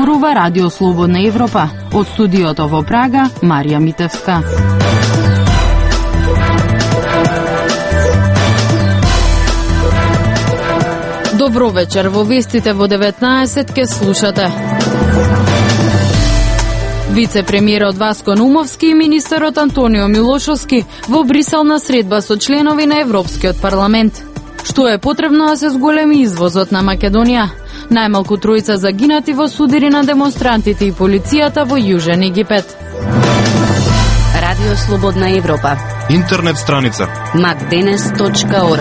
зборува Радио Слободна Европа. Од студиото во Прага, Марија Митевска. Добро вечер, во вестите во 19 ке слушате. Вице-премиерот Васко Наумовски и министерот Антонио Милошовски во Брисел на средба со членови на Европскиот парламент. Што е потребно да се зголеми извозот на Македонија? Најмалку тројца загинати во судири на демонстрантите и полицијата во Јужен Египет. Радио Слободна Европа. Интернет страница macdenes.org.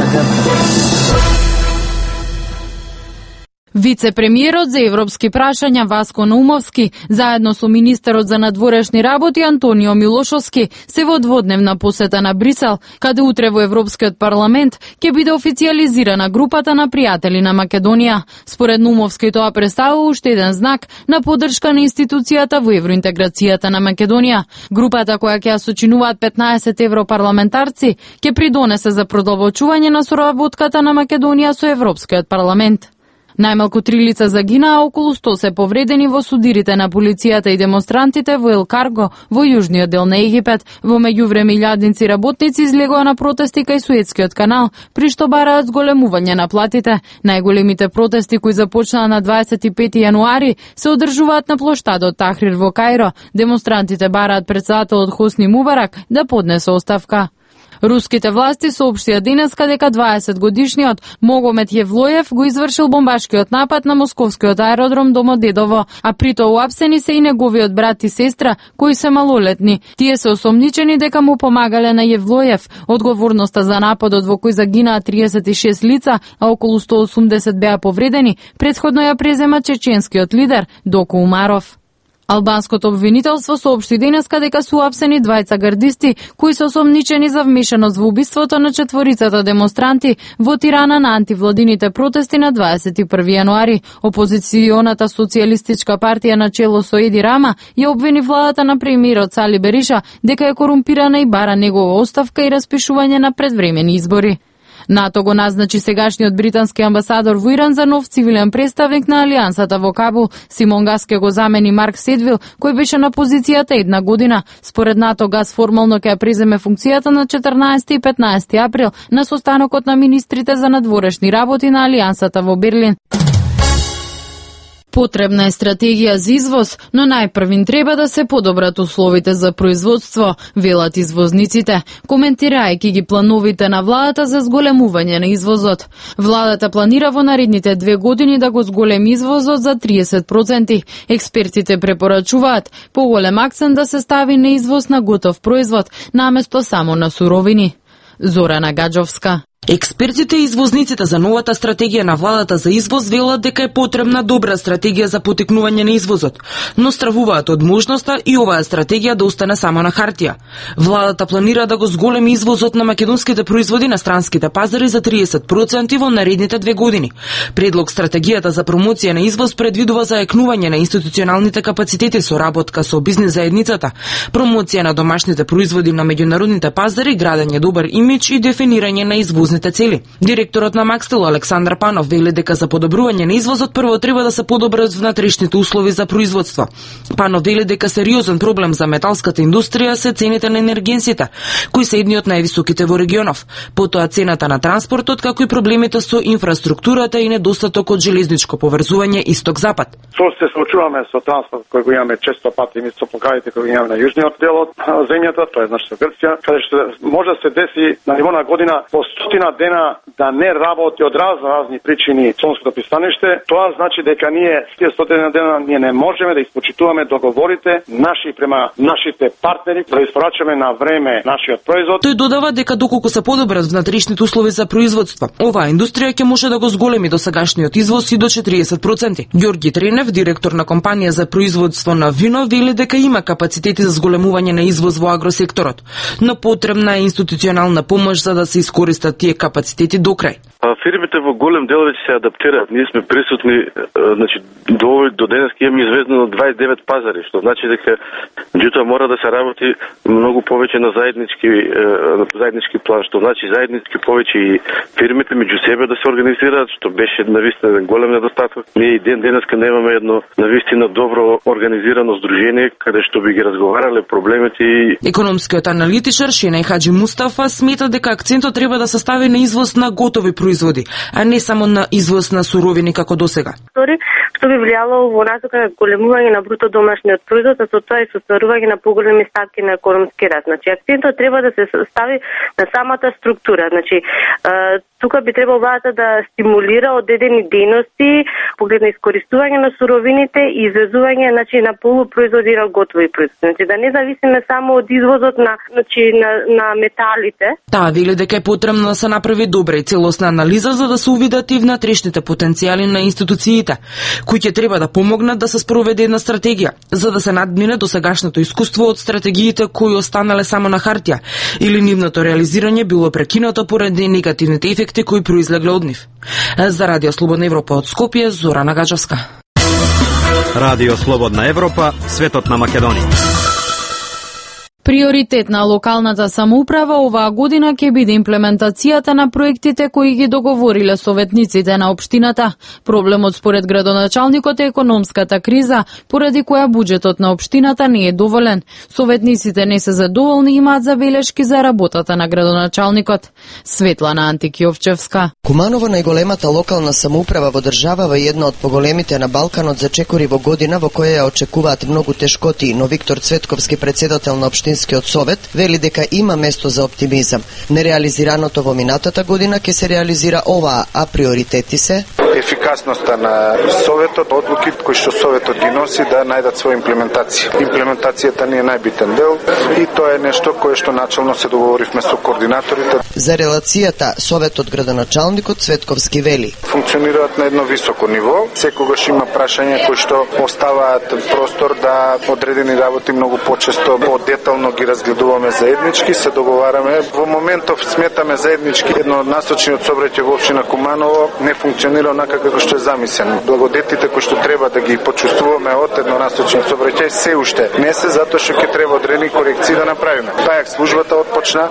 Вице-премиерот за европски прашања Васко Наумовски, заедно со министерот за надворешни работи Антонио Милошовски, се во дводневна посета на Брисел, каде утре во Европскиот парламент ќе биде официјализирана групата на пријатели на Македонија. Според Наумовски тоа представува уште еден знак на поддршка на институцијата во евроинтеграцијата на Македонија. Групата која ќе ја сочинуваат 15 европарламентарци ќе придонесе за продолбочување на соработката на Македонија со Европскиот парламент. Најмалку 3 лица загинаа, околу 100 се повредени во судирите на полицијата и демонстрантите во Ел Карго, во јужниот дел на Египет. Во меѓувреме илјадници работници излегоа на протести кај Суетскиот канал, при што бараат зголемување на платите. Најголемите протести кои започнаа на 25 јануари се одржуваат на плоштадот Тахрир во Кајро. Демонстрантите бараат претседателот Хосни Мубарак да поднесе оставка. Руските власти соопштија денеска дека 20-годишниот Могомед Јевлоев го извршил бомбашкиот напад на московскиот аеродром Домодедово, а прито уапсени се и неговиот брат и сестра, кои се малолетни. Тие се осомничени дека му помагале на Јевлоев. Одговорноста за нападот во кој загинаа 36 лица, а околу 180 беа повредени, претходно ја презема чеченскиот лидер Доко Умаров. Албанското обвинителство соопшти денеска дека се уапсени двајца гардисти кои се осомничени за вмешаност во убиството на 4 демонстранти во Тирана на антивладините протести на 21 јануари. Опозиционата социјалистичка партија на чело со Еди Рама ја обвини владата на премиерот Сали Бериша дека е корумпирана и бара негова оставка и распишување на предвремени избори. НАТО го назначи сегашниот британски амбасадор во Иран за нов цивилен представник на алијансата во Кабул. Симон Гас ке го замени Марк Седвил, кој беше на позицијата 1 година. Според НАТО, Гас формално ќе ја преземе функцијата на 14 и 15 април на состанокот на министрите за надворешни работи на алијансата во Берлин. Потребна е стратегија за извоз, но најпрвин треба да се подобрат условите за производство, велат извозниците, коментирајќи ги плановите на владата за зголемување на извозот. Владата планира во наредните 2 години да го зголеми извозот за 30%. Експертите препорачуваат поголем акцент да се стави на извоз на готов производ, наместо само на суровини. Зорана Гаджовска. Експертите и извозниците за новата стратегија на владата за извоз велат дека е потребна добра стратегија за потекнување на извозот, но стравуваат од можноста и оваа стратегија да остане само на хартија. Владата планира да го зголеми извозот на македонските производи на странските пазари за 30% во наредните 2 години. Предлог стратегијата за промоција на извоз предвидува заекнување на институционалните капацитети, соработка со бизнис заедницата, промоција на домашните производи на меѓународните пазари, градење добар имидж и дефинирање на извоз цели. Директорот на Макстел Александар Панов вели дека за подобрување на извозот прво треба да се подобрат внатрешните услови за производство. Панов вели дека сериозен проблем за металската индустрија се цените на енергенсите, кои се едни од највисоките во регионов. Потоа цената на транспортот, како и проблемите со инфраструктурата и недостатокот железничко поврзување исток-запад. Што се случуваме со транспорт кој го имаме често пати и со покаите кои имаме на јужниот дел од земјата, тоа е нашата Грција, каде што може да се деси на ниво на година по 100 дена да не работи од разни причини Солунското пристаниште. Тоа значи дека ние тие 100 дена ние не можеме да испочитуваме договорите наши према нашите партнери да испорачаме на време нашиот производ. Тој додава дека доколку се подобрат внатрешните услови за производство, оваа индустрија ќе може да го зголеми досегашниот извоз и до 40%. Ѓорги Тренев, директор на компанија за производство на вино, вели дека има капацитети за зголемување на извоз во агросекторот, но потребна е институционална помош за да се искористат тие капацитети до крај. Фирмите во голем дел веќе се адаптираат. Ние сме присутни, значи до денес имаме известно 29 пазари, што значи дека меѓутоа мора да се работи многу повеќе на заеднички план, што значи заеднички повеќе и фирмите меѓу себе да се организираат, што беше навистина голем недостаток. Ние и денеска немаме едно навистина добро организирано здружение каде што би ги разговарале проблемите и Економскиот аналитичар Шенај Хаджи Мустафа смета дека акцентот треба да се стави на извоз на готови производи, а не само на извоз на суровини како досега. Што би влијало во насока на големување на бруто домашниот производ, а со тоа и состварување на поголеми ставки на економски раст. Значи акцентот треба да се стави на самата структура. Значи тука би требало владата да стимулира одредени дейности поглед на искористување на суровините и извезување на полупроизводи и на готови производи. Значи да не зависиме само од извозот на металите. Таа вели дека е потребно да се направи добра и целосна анализа за да се увидат и внатрешните потенцијали на институциите, кои ќе треба да помогнат да се спроведе една стратегија, за да се надмине досегашното искуство од стратегиите кои останале само на хартија или нивното реализирање било прекинато поради негативните ефекти кои произлегле од нив. За Радио Слободна Европа од Скопје, Зорана Гаджевска. Радио Слободна Европа, светот на Македонија. Приоритет на локалната самоуправа оваа година ќе биде имплементацијата на проектите кои ги договориле советниците на општината. Проблемот според градоначалникот е економската криза, поради која буџетот на општината не е доволен. Советниците не се задоволни и имаат забелешки за работата на градоначалникот. Светлана Антикиовчевска. Куманово, најголемата локална самоуправа во државава и една од поголемите на Балканот, зачекори во година во која ја очекуваат многу тешкоти, но Виктор Цветковски, председател на општинскиот совет, вели дека има место за оптимизам. Нереализираното во минатата година ќе се реализира оваа, а приоритети се ефикасноста на советот, одлуките кои што советот ги носи да најдат своја имплементација. Имплементацијата не е најбитен дел и тоа е нешто кое што начално се договоривме со координаторите. За релацијата советот градоначалникот Цветковски вели: функционираат на едно високо ниво, секогаш има прашања кои што оставаат простор да одредени работи многу почесто по-детално ги разгледуваме заеднички, се договараме. Во моментов сметаме заеднички еднонасочниот сообраќај во општина Куманово не функционира онака како што е замислено. Благодетите кои што треба да ги почувствуваме од еднонасочниот сообраќај се уште не се, затоа што ќе треба одредени корекции да направиме. Пајак службата отпочна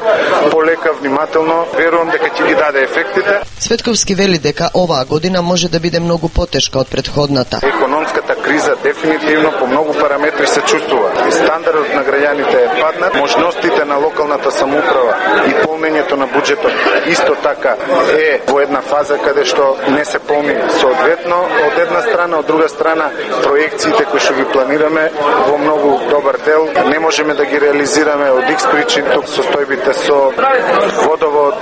полека, внимателно, верувам дека ќе ги даде ефектите. Цветковски вели дека оваа година може да биде многу потешка од претходната. Економската криза дефинитивно по многу параметри се чувствува. Стандардот на граѓаните е паднат, можностите на локалната самоуправа и полнењето на буџетот исто така е во една фаза каде што не се полни соодветно од една страна, од друга страна проекциите кои што ги планираме во многу добар дел не можеме да ги реализираме од X причин. Тук состојбите со водовод,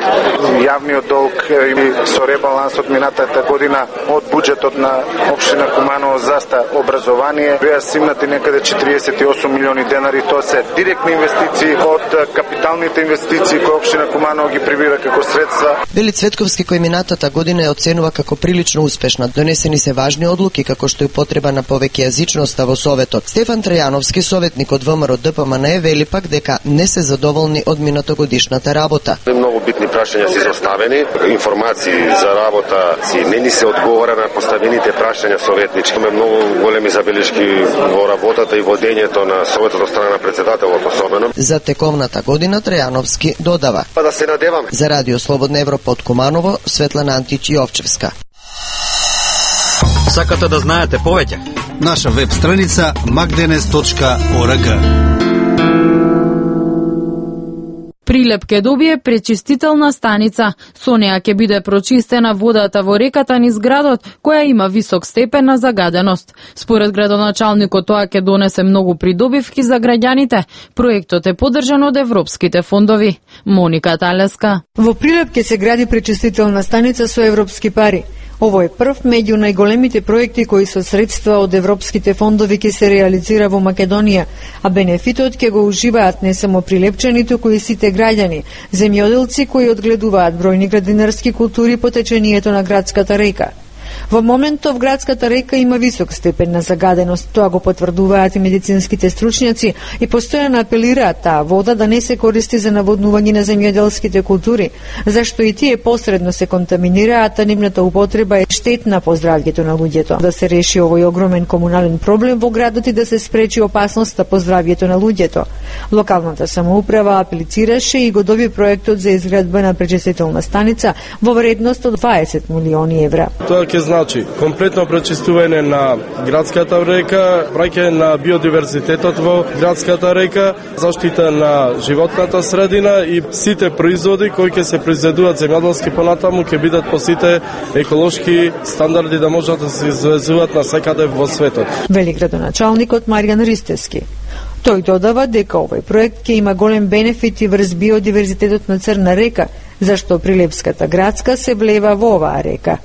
јавниот долг и со ребалансот минатата година од буџетот на општина Куманово за образование беа симнати некаде 48 милиони денари. Тоа се директни инвестиции од капиталните инвестиции кои општина Куманово ги прибира како средства. Вели Цветковски, кој минатата година ја оценува како прилично успешна. Донесени се важни одлуки како што и потреба на повеќе јазичноста во советот. Стефан Трајановски, советник од ВМРО ДПМН, вели пак дека не се задоволни од минатогодишната работа. Многу битни прашања се изоставени, информации за работа не ни се одговара на поставените прашања советнички. Имаме многу големи забелешки во работата и водењето на советот од страна на председателот особено. За тековната година Трајановски додава: да се надеваме. За Радио Слободна Европа од Куманово, Светлана Античиовчевска. Сакате да знаете повеќе? Наша веб страница magdenes.org. Прилеп ќе добие пречистителна станица. Со неа ќе биде прочистена водата во реката низ градот, која има висок степен на загаденост. Според градоначалникот тоа ќе донесе многу придобивки за граѓаните. Проектот е поддржан од европските фондови. Моника Талеска. Во Прилеп ќе се гради пречистителна станица со европски пари. Ово е прв меѓу најголемите проекти кои со средства од европските фондови ќе се реализира во Македонија, а бенефитот ќе го уживаат не само прилепчани, туку и сите граѓани, земјоделци кои одгледуваат бројни градинарски култури по течението на градската река. Во моментов градската река има висок степен на загаденост, тоа го потврдуваат и медицинските стручњаци и постојано апелираат таа вода да не се користи за наводнување на земјоделските култури, зашто и тие посредно се контаминираат, а нивната употреба е штетна по здравјето на луѓето. Да се реши овој огромен комунален проблем во градот и да се спречи опасноста по здравјето на луѓето. Локалната самоуправа аплицираше и го доби проектот за изградба на пречистителна станица во вредност од 20 милиони евра. Тоа ќе значи комплетно пречистување на градската река, праќање на биодиверзитетот во градската река, заштита на животната средина и сите производи кои ќе се произведуваат земјоделски понатаму ќе бидат по сите еколошки стандарди да можат да се извезуваат на секаде во светот. Вели градоначалникот Маријан Ристевски. Тој додава дека овој проект ќе има голем бенефит и врз биодиверзитетот на Црна река, зашто Прилепската градска се влева во оваа река.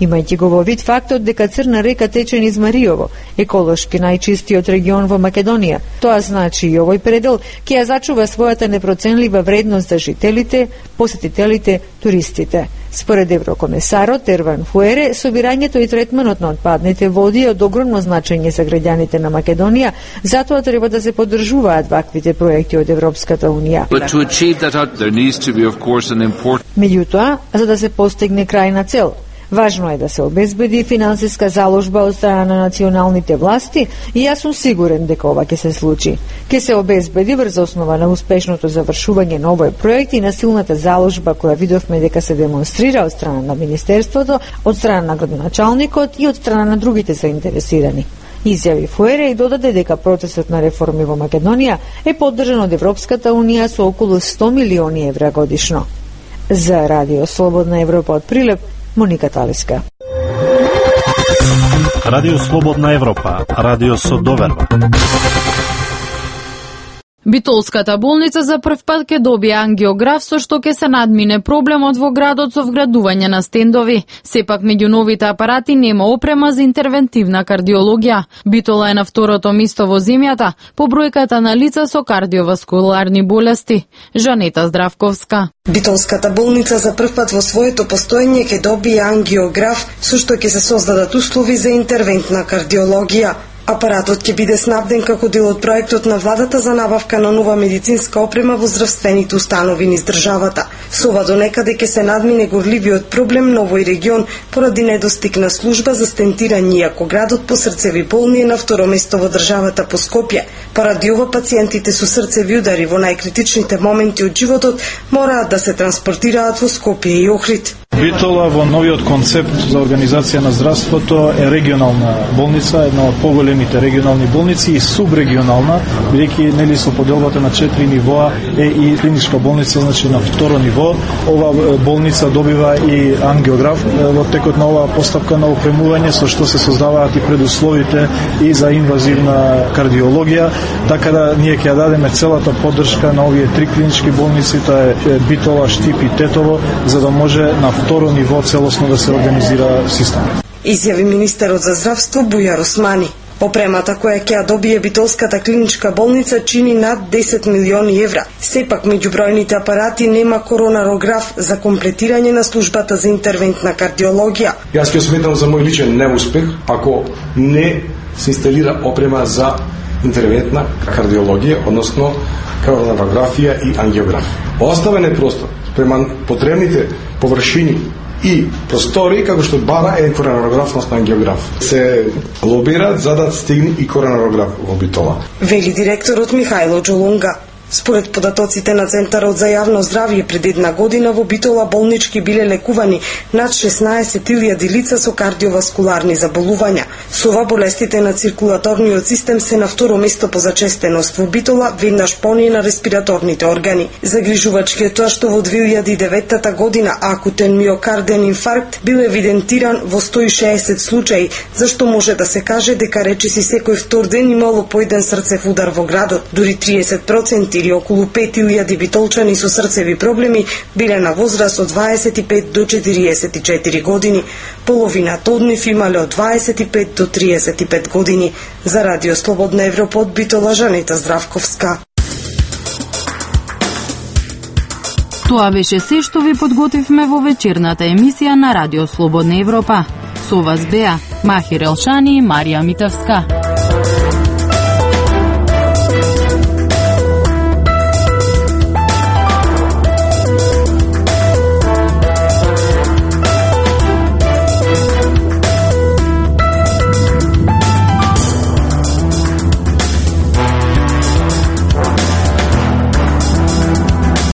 Имајќи го во вид фактот дека Црна река тече низ Мариово, еколошки најчистиот регион во Македонија. Тоа значи и овој предел ќе ја зачува својата непроценлива вредност за жителите, посетителите, туристите. Според еврокомесарот Ерван Фуере, собирањето и третманот на отпадните води е од огромно значење за граѓаните на Македонија, затоа треба да се поддржуваат ваквите проекти од Европската Унија. Меѓутоа, за да се постигне крајна цел, важно е да се обезбеди финансиска заложба од страна на националните власти и јас сум сигурен дека ова ќе се случи. Ќе се обезбеди врз основа на успешното завршување на овој проект и на силната заложба која видовме дека се демонстрира од страна на Министерството, од страна на градоначалникот и од страна на другите заинтересирани. Изјави Фуере и додаде дека процесот на реформи во Македонија е поддржан од Европската Унија со околу 100 милиони евра годишно. За Радио Слободна Европа од Прилеп, Моника Талиска. Радио Слободна Европа, радио со доверба. Битолската болница за прв пат ќе добие ангиограф со што ќе се надмине проблемот во градот со вградување на стендови. Сепак меѓу новите апарати нема опрема за интервентивна кардиологија. Битола е на второто место во земјата по бројката на лица со кардиоваскуларни болести. Жанета Здравковска. Битолската болница за прв пат во своето постоење ќе добие ангиограф со што ќе се создадат услови за интервентна кардиологија. Апаратот ќе биде снабден како дел од проектот на владата за набавка на нова медицинска опрема во здравствените установи низ државата. Со ова до некаде ќе се надмине горливиот проблем на овој регион поради недостиг на служба за стентирање, иако градот по срцеви болни е на второ место во државата по Скопје. Поради ова пациентите со срцеви удари во најкритичните моменти од животот мораат да се транспортираат во Скопје и Охрид. Битола во новиот концепт за организација на здравството е регионална болница, една од поголемите регионални болници и субрегионална, бидејќи нели со поделбата на 4 нивоа е и клиничка болница, значи на второ ниво. Ова болница добива и ангиограф во текот на оваа постапка на опремување, со што се создаваат и предусловите и за инвазивна кардиологија, така да ние ќе ја дадеме целата поддршка на овие три клинички болници, тоа е Битола, Штип и Тетово, за да може на второ ниво целосно да се организира системот. Изјави министерот за здравство Бујар Османи. Опремата која ќе ја добие Битолската клиничка болница чини над 10 милиони евра. Сепак меѓу бројните апарати нема коронарограф за комплетирање на службата за интервентна кардиологија. Јас ќе сметам за мој личен неуспех ако не се инсталира опрема за интервентна кардиологија, односно коронарографија и ангиограф. Оставен е простор према потребните површини и простори, како што бара е коронарограф, односно ангиограф. Се лобираат за да стигне и коронарограф во Битола. Вели директорот Михајло Џолунга. Според податоците на Центарот за јавно здравје, пред една година во Битола болнички биле лекувани над 16.000 лица со кардиоваскуларни заболувања. Со ова болестите на циркулаторниот систем се на второ место по зачестеност во Битола, веднаш поние на респираторните органи. Загрижувачки е тоа што во 2009 година акутен миокарден инфаркт бил евидентиран во 160 случаи, зашто може да се каже дека речиси секој втор ден имало по еден срцев удар во градот. Дури 30% или околу 5000 битолчани со срцеви проблеми биле на возраст од 25 до 44 години. Половината од нив имале од 25 до 35 години. За Радио Слободна Европа од Битола, Жанета Здравковска. Тоа беше се што ви подготвивме во вечерната емисија на Радио Слободна Европа. Со вас беа Махир Елшани и Марија Митевска.